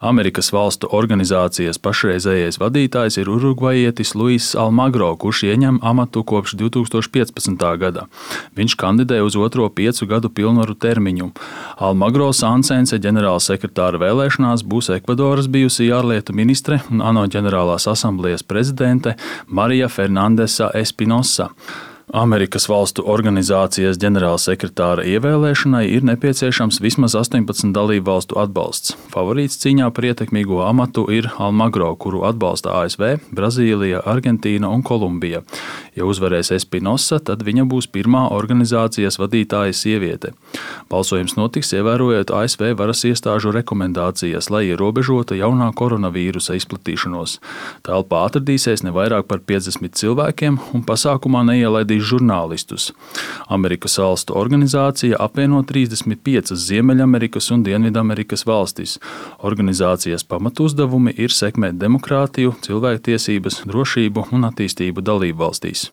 Amerikas Valstu Organizācijas pašreizējais vadītājs ir urugvajietis Luiss Almagro, kurš ieņem amatu kopš 2015. gada. Viņš kandidē uz otro 5 gadu pilnvaru termiņu. Almagro Sansense ģenerālsekretāra vēlēšanās būs Ekvadoras bijusī ārlietu ministre un ANO ģenerālās asamblejas prezidente Marija Fernandesa Espinosa. Amerikas Valstu Organizācijas ģenerālsekretāra ievēlēšanai ir nepieciešams vismaz 18 dalību valstu atbalsts. Favorīts cīņā par ietekmīgo amatu ir Almagro, kuru atbalsta ASV, Brazīlija, Argentīna un Kolumbija. Ja uzvarēs Espinosa, tad viņa būs pirmā organizācijas vadītāja sieviete. Balsojums notiks ievērojot ASV varas iestāžu rekomendācijas, lai ierobežotu jaunā koronavīrusa izplatīšanos. Telpā atradīsies ne vairāk par 50 cilvēkiem un pasākumā neielaidīs žurnālistus. Amerikas Valstu organizācija apvieno 35 Ziemeļamerikas un Dienvidamerikas valstis. Organizācijas pamatuzdevumi ir sekmēt demokrātiju, cilvēktiesības, drošību un attīstību dalībvalstīs.